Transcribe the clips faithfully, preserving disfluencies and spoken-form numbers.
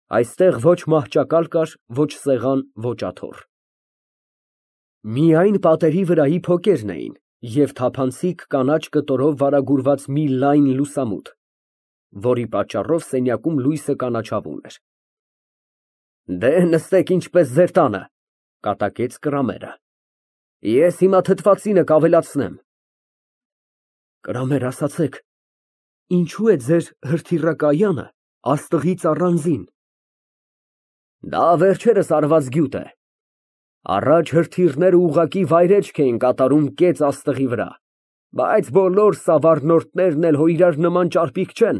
Այստեղ ոչ մահճակալ կար, ոչ սեղան, ոչ աթոռ։ Միայն պատերի վրայի փոկերն էին և թափանցիկ կանաչ կտորով վարագուրված մի լայն լուսամուտ, որի պատճառով սենյակում լույսը կանաչավուն էր։ Դե, նստեք ինչպես ձեր տանը, կատակեց Կրամերը, ես հիմա թթվածինը կավելացնեմ։ Կրամեր, ասացեք, ինչո՞ւ է ձեր հրթիռակայանը աստղից առանձին։ Դա վերջերս արված գյուտ է։ Առաջ հրթիռները ուղղակի վայրէջք էին կատարում կեց աստղի վրա, բայց բոլոր սավառնորդներն էլ հո իրար նման ճարպիկ չեն,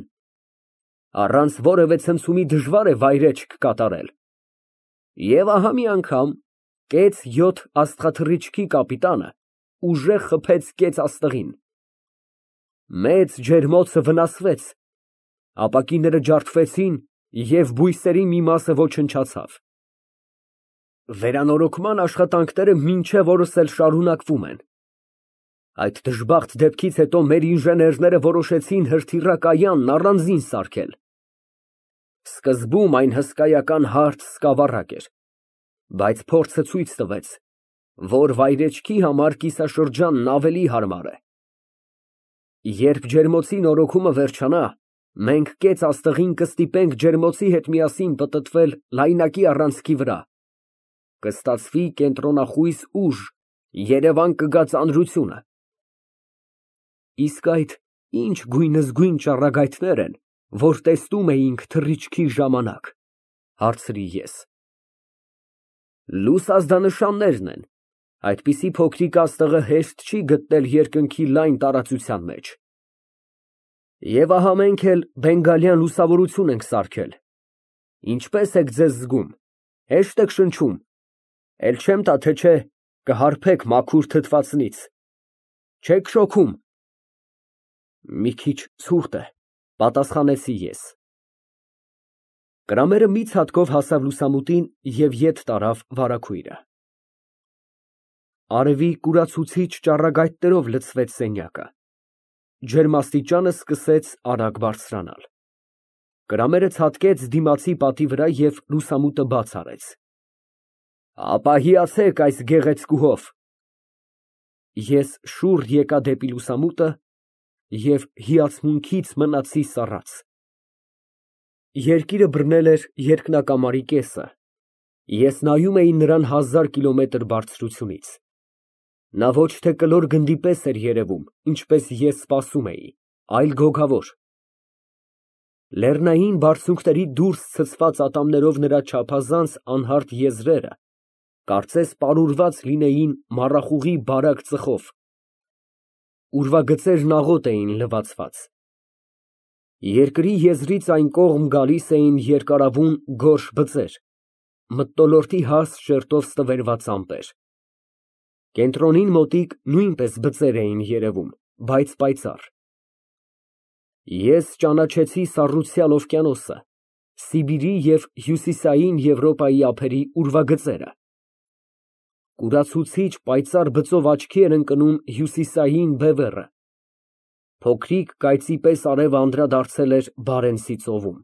առանց որևէ ցնցումի դժվար է վայրէջք կատարել։ Եվ ահա մի անգամ կեց յոթ աստղաթռիչքի կապիտանը ուժեղ խփեց կեց աստղին։ Մեծ ջերմոցը վնասվեց, ապակիները ջարդվեցին և բույսերի մի մասը ոչնչացավ։ Վերանորոգման աշխատանքները մինչև օրս էլ շարունակվում են։ Այդ դժբախտ դեպքից հետո մեր ինժեներները որոշեցին հրթիռակայանն առանձին սարքել։ Սկզբում այն հսկայական հարթ սկավառակ էր, բայց փորձը ցույց տվեց, որ վայրեջքի համար կիսաշրջանն ավելի հարմար է։ Երբ ջերմոցի նորոգումը վերջանա, մենք կեց աստղին կստիպենք ջերմոցի հետ միասին պտտվել լայնակի առանցքի վրա, կստացվի կենտրոնախույս ուժ, երևան կգա ծանրությունը։ Իսկ այդ ինչ գույնզգույն ճառագայթներ են, որ տեսնում էինք թռիչքի ժամանակ, հարցրի ես։ Լուսազդանշաններն են, այդպիսի փոքրիկ աստղը հեշտ չի գտնել երկնքի լայն տարածության մեջ։ Եվ ահա մենք էլ բենգալյան լուսավորություն ենք սարքել։ Ինչպե՞ս եք ձեզ զգում, հեշտ եք շնչում, էլ չեմ տա, թե չէ կհարբեք մաքուր թթվածնից, չեք շոքում։ Մի քիչ ցուրտ է, պատասխանեցի ես։ Կրամերը մի ցատկով հասավ լուսամուտին և ետ տարավ վարագույրը։ Արևի կուրացուցիչ ճառագայթներով լցվեց սենյակը։ Ջերմաստիճանը սկսեց արագ բարձրանալ։ Կրամերը ցատկեց դիմացի պատի վրա և լուսամուտը բաց արեց։ Ապա հիացեք այս գեղեցկուհով։ Ես շուռ եկա դեպի լուսամուտը և հիացմունքից մնացի սառած։ Երկիրը բռնել էր երկնակամարի կեսը, ես նայում էի նրան հազար կիլոմետր բարձրությունից։ Նա ոչ թե կլոր գնդի պես էր երևում, ինչպես ես սպասում էի, այլ գոգավոր։ Լեռնային բարձունքների դուրս ցցված ատամներով նրա չափազանց անհարթ եզրերը կարծես պարուրված լինեին մառախուղի բարակ ծխով։ Ուրվագծերն աղոտ էին լվացված։ Երկրի եզրից այն կողմ գալիս էին երկարավուն գորշ բծեր, մթնոլորտի հաստ շերտով ստվերված ամպեր։ Կենտրոնին մոտիկ նույնպես բծեր էին երևում, բայց պայծառ։ Ես ճանաչեցի սառուցյալ օվկիանոսը, Սիբիրի և հյուսիսային Եվրոպայի ափերի ուրվագծերը։ Կուրացուցիչ պայծառ բծով աչքի էր ընկնում հյուսիսային բևեռը։ Փոքրիկ կայծի պես արևը անդրադարձել էր Բարենցի ծովում։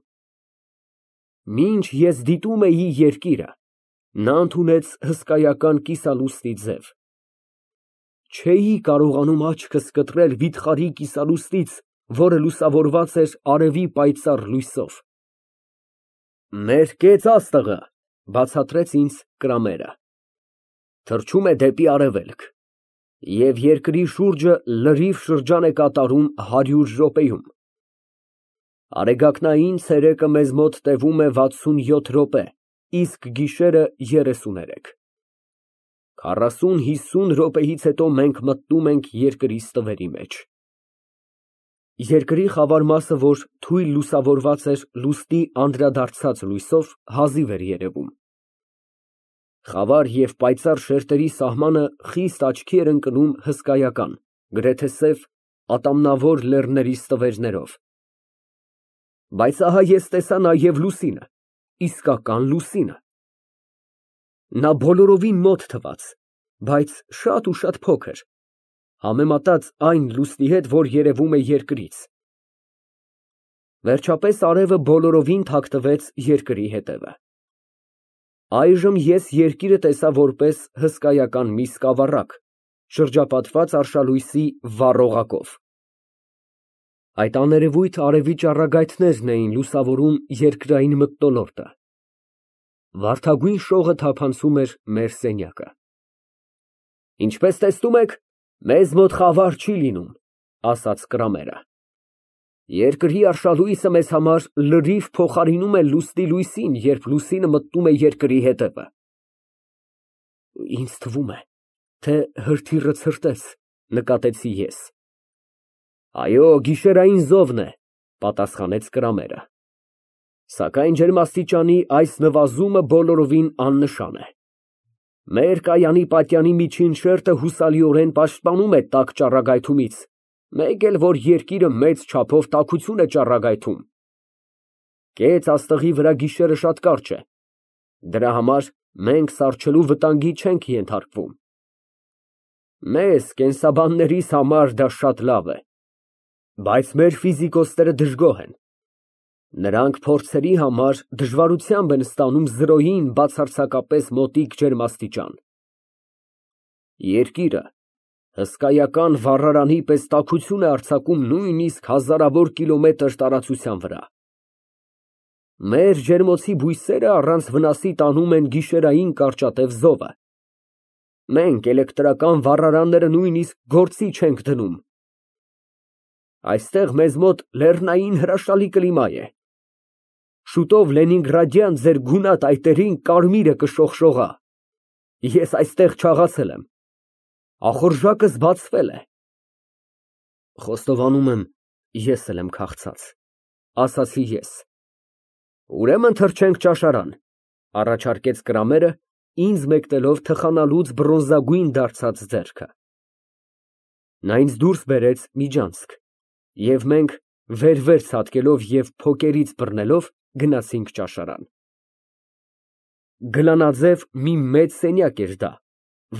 Մինչ ես դիտում էի երկիրը, նա ընդունեց հսկայական կիսալուսնի ձև։ Չէի կարողանում աչքս կտրել վիթխարի կիսալուսնից, որը լուսավորված էր արևի պայծառ լույսով։ Մեր կեց աստղը, բացատրեց ինձ Կրամերը, թռչում է դեպի արևելք և երկրի շուրջը լրիվ շրջան է կատարում հարյուր րոպեում։ Արեգակնային ցերեկը մեզ մոտ տևում է վաթսունյոթ րոպե, իսկ գիշերը երեսուներեք։ Քառասուն հիսուն րոպեից հետո մենք մտնում ենք երկրի ստվերի մեջ։ Երկրի խավար մասը, որ թույլ լուսավորված էր լուսնի անդրադարձած լույսով, հազիվ էր երևում։ Խավար և պայծառ շերտերի սահմանը խիստ աչքի էր ընկնում հսկայական, գրեթե սև, ատամնավոր լեռների ստվերներով։ Բայց ահա ես տեսա նաև լուսինը, իսկական լուսինը։ Նա բոլորովին մոտ թվաց, բայց շատ ու շատ փոքր, համեմատած այն լուսնի հետ, որ երևում է երկրից։ Վերջապես արևը բոլորովին թաքցվեց երկրի հետևը։ Այժմ ես երկիրը տեսա որպես հսկայական մի սկավառակ, շրջապատված արշալույսի վառ օղակով։ Այդ աներևույթ արևի ճառագայթներն էին լուսավորում երկրային մթնոլորտը։ Վարդագույն շողը թափանցում էր մեր սենյակը։ Ինչպես տեսնում եք, մեզ մոտ խավար չի լինում, ասաց Կրամերը։ Երկրի արշալույսը մեզ համար լրիվ փոխարինում է լուսնի լույսին, երբ լուսինը մտնում է երկրի հետևը։ Ինձ թվում է, թե հրթիռը ցրտեց, նկատեցի ես։ Այո, գիշերային զովն է, պատասխանեց Կրամերը։ Սակայն ջերմաստիճանի այս նվազումը բոլորովին աննշան է։ Մեր կայանի պատյանի միջին շերտը հուսալիորեն պաշտպանում է տաք ճառագայթումից, մեկ էլ որ երկիրը մեծ չափով տաքություն է ճառագայթում։ Կեց աստղի վրա գիշերը շատ կարճ է, դրա համար մենք սառչելու վտանգի չենք ենթարկվում։ Մեզ, կենսաբաններիս համար դա շատ լավ է, բայց մեր ֆիզիկոսները դժգոհ են։ Նրանք փորձերի համար դժվարությամբ են ստանում զրոյին բացարձակապես մոտիկ ջերմաստիճան։ Երկիրը հսկայական վառարանի պես տաքություն է արձակում նույնիսկ հազարավոր կիլոմետր տարածության վրա։ Մեր ջերմոցի բույսերը առանց վնասի տանում են գիշերային կարճատև զովը։ Մենք էլեկտրական վառարանները նույնիսկ գործի չենք դնում։ Այստեղ մեզ մոտ լեռնային հրաշալի կլիմա է։ Շուտով Լենինգրադյան ձեր գունատ այտերին կարմիրը կշողշողա։ Ես այստեղ չաղացել եմ։ Ախորժակս բացվել է։ Խոստովանում եմ, ես էլ եմ քաղցած, ասացի ես։ Ուրեմն թռչենք ճաշարան, առաջարկեց Կրամերը, ինձ մեկնելով թխանալուց բրոնզագույն դարձած ձեռքը։ Նա ինձ դուրս բերեց միջանցք, և մենք վեր֊վեր ցատկելով և փոկերից բռնելով գնացինք ճաշարան։ Գլանաձև մի մեծ սենյակ էր դա,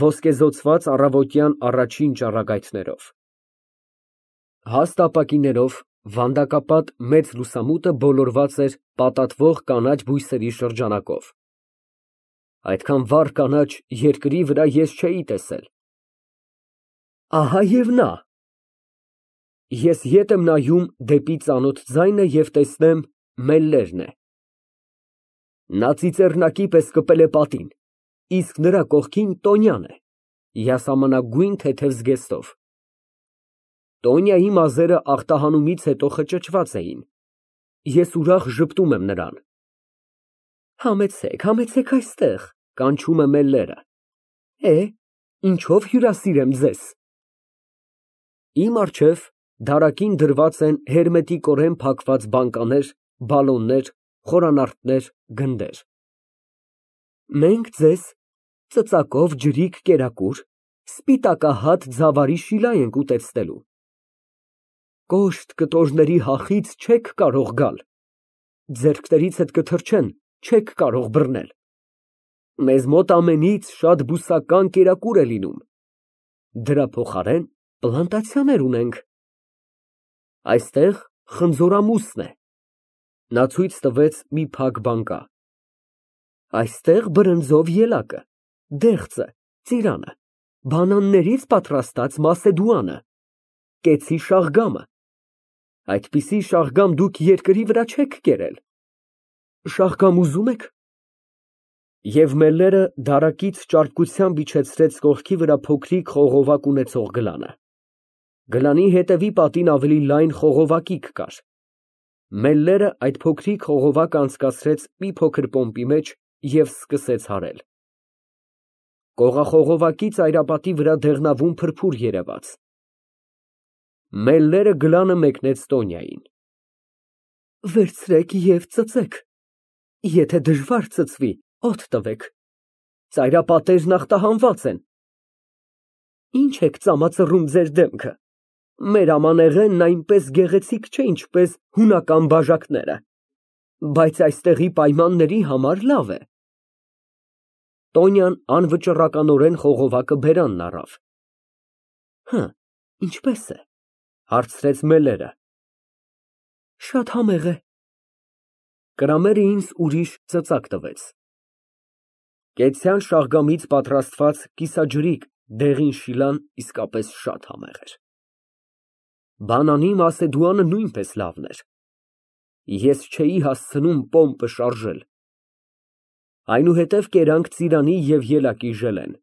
ոսկեզօծված առավոտյան առաջին ճառագայթներով։ Հաստ ապակիներով վանդակապատ մեծ լուսամուտը բոլորված էր պատատվող կանաչ բույսերի շրջանակով։ Այդքան վառ կանաչ երկրի վրա ես չէի տեսել։ Ահա և նա։ Ես ետ եմ նայում դեպի ծանոթ ձայնը և տեսնեմ Մելլերն է։ Նա ծիծեռնակի պես կպել է պատին, իսկ նրա կողքին Տոնյան է, յասամանագույն թեթև զգեստով։ Տոնյայի մազերը ախտահանումից հետո խճճված էին։ Ես ուրախ ժպտում եմ նրան։ Համեցեք, համեցեք այստեղ, կանչում է Մելլերը։ Է, ինչով հյուրասիրեմ ձեզ։ Իմ առջև դարակին դրված են հերմետիկորեն փակված բանկաներ, բալոններ, խորանարդներ, գնդեր։ Մենք ձեզ ծծակով ջրիկ կերակուր, սպիտակահատ ձավարի շիլա ենք ուտեցնելու։ Կոշտ կտորների հախից չեք կարող գալ, ձեռքներիցդ կթռչեն, չեք կարող բռնել։ Մեզ մոտ ամենից շատ բուսական կերակուր է լինում, դրա փոխարեն պլանտացիաներ ունենք։ Այստեղ խնձորամուսն է։ Նա ցույց տվեց մի փակ բանկա։ Այստեղ բրնձով ելակը, դեղձը, ծիրանը, բանաններից պատրաստած մասեդուանը, կեցի շաղգամը։ Այդպիսի շաղգամ դուք երկրի վրա չեք կերել։ Շաղգամ ուզում եք։ Եվ Մելլերը դարակից ճարպկությամբ իջեցրեց կողքի վրա փոքրիկ խողովակ ունեցող գլանը։ Գլանի հետևի պատին ավելի լայն խողովակիկ կար։ Մելլերը այդ փոքրիկ խողովակը անցկացրեց մի փոքր պոմպի մեջ և սկսեց հարել։ Կողախողովակի ծայրապատի վրա դեղնավուն փրփուր երևաց։ Մելլերը գլանը մեկնեց Տոնյային։ Վերցրեք և ծծեք, եթե դժվար ծծվի, օդ տվեք, ծայրապատերն ախտահանված են։ Ինչ եք ծամածռում ձեր դեմքը, մեր ամանեղենն այնպես գեղեցիկ չէ, ինչպես հունական բաժակները, բայց այստեղի պայմանների համար լավ է։ Տոնյան անվճռականորեն խողովակը բերանն առավ։ Հը, ինչպես է, հարցրեց Մելլերը։ Շատ համեղ է։ Կրամերը ինձ ուրիշ ծծակ տվեց։ Կեցյան շաղգամից պատրաստված կիսաջրիկ դեղին շիլան իսկապես շատ համեղ էր։ Բանանի Մասեդուանը նույնպես լավն էր։ Ես չէի հասցնում պոմպը շարժել։ Այնուհետև կերանք ծիրանի և ելակի ժելեն։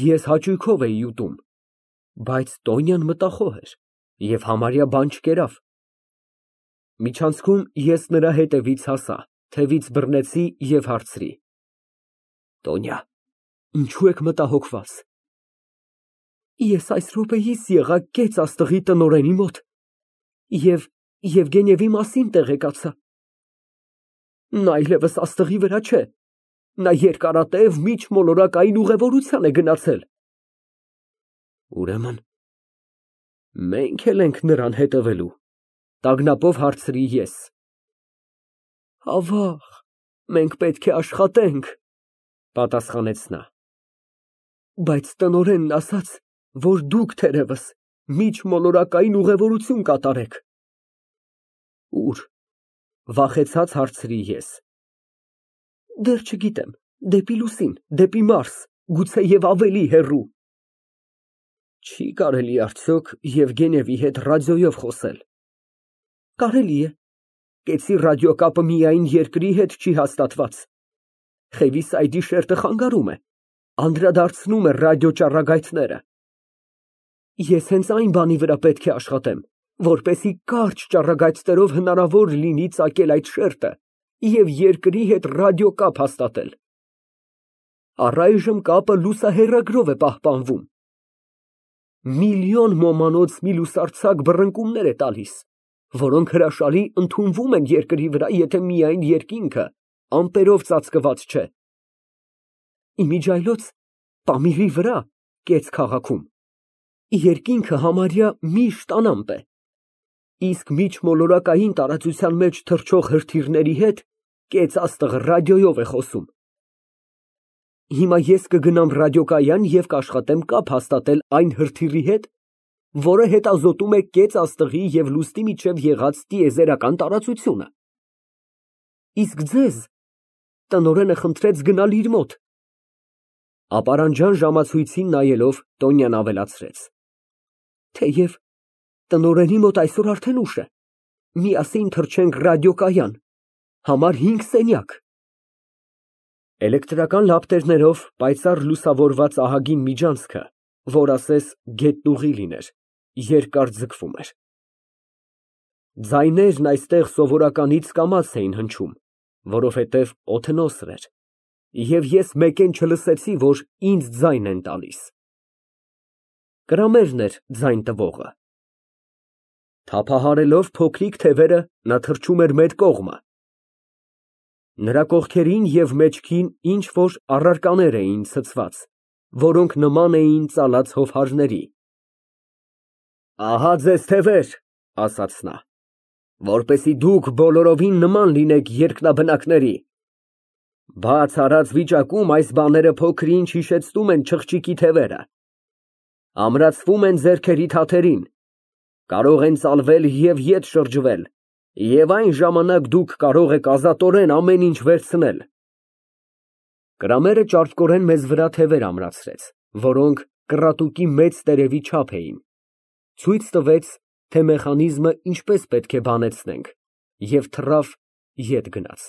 Ես հաճույքով էի ուտում, բայց Տոնյան մտախոհ էր և համարյա բան չկերավ։ Միջանցքում ես նրա հետևից հասա, թևից բռնեցի և հարցրի. Տոնյա, ինչո՞ւ եք մտահոգված։ Ես այս րոպեիս եղա կեց աստղի տնօրենի մոտ և Եվգենիևի մասին տեղեկացա։ Նա այլևս աստղի վրա չէ, նա երկարատև միջմոլորակային ուղևորության է գնացել։ Ուրեմն մենք էլ ենք նրան հետևելու, տագնապով հարցրի ես։ Ավաղ, մենք պետք է աշխատենք, պատասխանեց նա։ Բայց տնօրենն ասաց, որ դուք թերևս միջմոլորակային ուղևորություն կատարեք։ Ուր, վախեցած հարցրի ես։ Դեռ չգիտեմ, դեպի լուսին, դեպի Մարս, գուցեև ավելի հեռու։ Չի կարելի արդյոք Եվգենիևի հետ ռադիոյով խոսել։ Կարելի է, կեցի ռադիոկապը միայն երկրի հետ չի հաստատված։ Խևիսայդի շերտը խանգարում է, անդրադարձնում է ռադիոճառագայթները։ Ես հենց այն բանի վրա պետք է աշխատեմ, որպեսզի կարճ ճառագայթներով հնարավոր լինի ծագել այդ շերտը և երկրի հետ ռադիոկապ հաստատել։ Առայժմ կապը լուսահեռագրով է պահպանվում։ Միլիոն ոմանոց մի լուսարձակ բռնկումներ է տալիս, որոնք հրաշալի ընդունվում են երկրի վրա, եթե միայն երկինքը ամպերով ծածկված չէ։ Իմիջիայլոց Պամիրի վրա, կեց քաղաքում, երկինքը համարյա միշտ անամպ է, իսկ միջմոլորակային տարածության մեջ թռչող հրթիռների հետ կեց աստղը ռադիոյով է խոսում։ Հիմա ես կգնամ ռադիոկայան և կաշխատեմ կապ հաստատել այն հրթիռի հետ, որը հետազոտում է կեց աստղի և լուսնի միջև եղած տիեզերական տարածությունը։ Իսկ ձեզ տնօրենը խնդրեց գնալ իր մոտ։ Ապարանջան ժամացույցին նայելով Տոնյան ավելացրեց. Թեև տնօրենի մոտ այսօր արդեն ուշ է, միասին թռչենք ռադիոկայան, համար հինգ սենյակ։ Էլեկտրական լապտերներով պայծառ լուսավորված ահագին միջանցքը, որ ասես գետնուղի լիներ, երկար ձգվում էր։ Ձայներն այստեղ սովորականից կամաց էին հնչում, որովհետև օդն օսր էր, և ես մեկեն չլսեցի, որ ինձ ձայն են տալիս։ Կրամերն էր ձայն տվողը։ Թափահարելով փոքրիկ թևերը, նա թռչում էր մեր կողմը։ Նրա կողքերին և մեջքին ինչ֊որ առարկաներ էին ցցված, որոնք նման էին ծալած հովհարների։ Ահա ձեզ թևեր, ասաց նա, որպեսզի դուք բոլորովին նման լինեք երկնաբնակների։ Բաց արած վիճակում այս բաները փոքր-ինչ հիշեցնում են չղջիկի թևերը, ամրացվում են ձեռքերի թաթերին, կարող են ծալվել և ետ շրջվել, և այն ժամանակ դուք կարող եք ազատորեն ամեն ինչ վերցնել։ Կրամերը ճարպկորեն մեզ վրա թևեր ամրացրեց, որոնք կռատուկի մեծ տերևի չափ էին, ցույց տվեց, թե մեխանիզմը ինչպես պետք է բանեցնենք, և թռավ, ետ գնաց։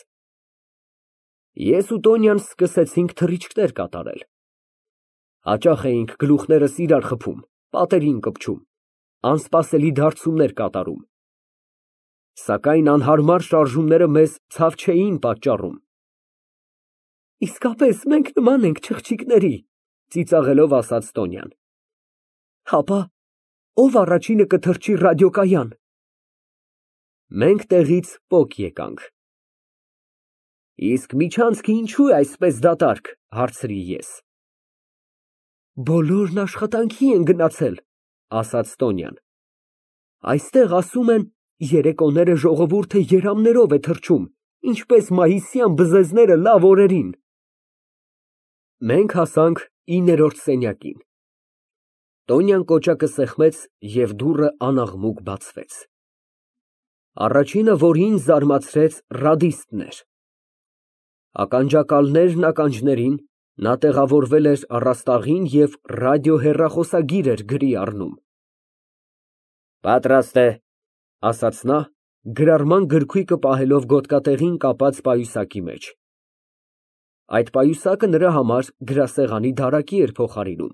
Ես ու Տոնյան սկսեցինք թռիչքներ կատարել։ Հաճախ էինք գլուխներս իրար խփում, պատերին կպչում, անսպասելի դարձումներ կատարում։ Սակայն անհարմար շարժումները մեզ ցավ չէին պատճառում։ Իսկապես մենք նման ենք չղջիկների, ծիծաղելով ասաց Տոնյան։ Հապա ով առաջինը կթռչի ռադիոկայան։ Մենք տեղից պոկ եկանք։ Իսկ միջանցքը ինչո՞ւ է այսպես դատարկ, հարցրի ես։ Բոլորն աշխատանքի են գնացել, ասաց Տոնյան։ Այստեղ ասում են, երեկոները ժողովուրդը երամներով է թռչում, ինչպես մայիսյան բզեզները լավ օրերին։ Մենք հասանք իններորդ սենյակին։ Տոնյան կոճակը սեղմեց և դուռը անաղմուկ բացվեց։ Առաջինը, որին զարմացրեց, ռադիստն էր։ Ականջակալներն ականջներին, նա տեղավորվել էր առաստաղին և ռադիոհեռախոսագիր էր գրի առնում։ Պատրաստ է, ասաց նա, գրառման գրքույկը պահելով գոտկատեղին կապած պայուսակի մեջ։ Այդ պայուսակը նրա համար գրասեղանի դարակի էր փոխարինում։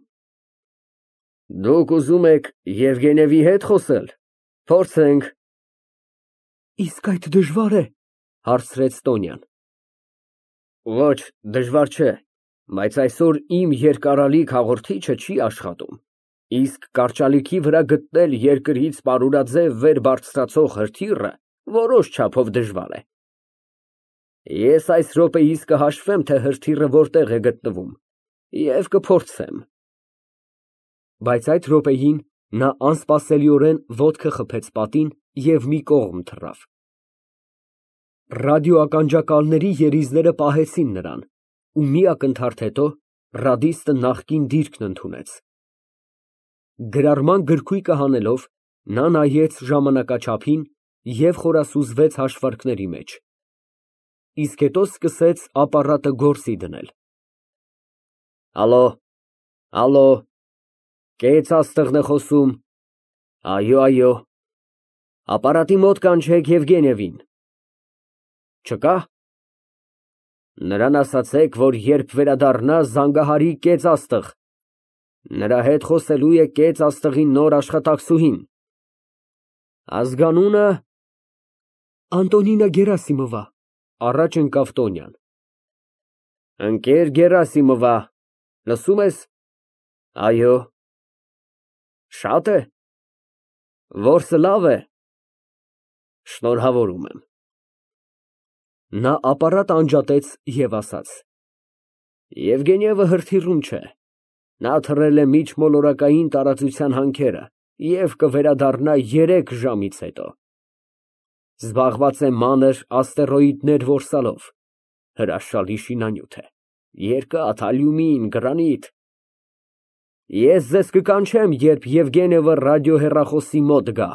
Դուք ուզում եք Եվգենիևի հետ խոսել, փորձենք։ Իսկ այդ դժվա՞ր է, հարցրեց Տոնյան։ Ոչ, դժվար չէ, բայց այսօր իմ երկարալիք հաղորդիչը չի աշխատում, իսկ կարճալիքի վրա գտնել երկրից պարուրաձև վեր բարձրացող հրթիռը որոշ չափով դժվար է։ Ես այս րոպեիս կհաշվեմ, թե հրթիռը որտեղ է գտնվում, և կփորձեմ։ Բայց այդ րոպեին նա անսպասելիորեն ոտքը խփեց պատին և մի կողմ թռավ։ Ռադիոականջակալների երիզները պահեցին նրան, ու մի ակնթարթ հետո ռադիստը նախկին դիրքն ընդունեց։ Գրառման գրքույկը հանելով, նա նայեց ժամանակաչափին և խորասուզվեց հաշվարկների մեջ, իսկ հետո սկսեց ապարատը գործի դնել։ Ալո, ալո, կեց աստղն է խոսում, այո, այո, ապարատի մոտ կանչեք Եվգենիևին։ Չկա։ Նրան ասացեք, որ երբ վերադառնա, զանգահարի կեց աստղ, նրա հետ խոսելու է կեց աստղի նոր աշխատակցուհին։ Ազգանունը… Անտոնինա Գերասիմովա, առաջ ընկավ Տոնյան։ Ընկեր Գերասիմովա, լսում ես։ Այո։ Շա՞տ է։ Որսը լավ է։ Շնորհավորում եմ։ Նա ապարատը անջատեց և ասաց. Եվգենիևը հրթիռում չէ, նա թռել է միջմոլորակային տարածության հանքերը և կվերադառնա երեք ժամից հետո։ Զբաղված է մանր աստերոիդներ որսալով, հրաշալի շինանյութ է, երկաթ, ալյումին, գրանիտ։ Ես ձեզ կկանչեմ, երբ Եվգենիևը ռադիոհեռախոսի մոտ գա։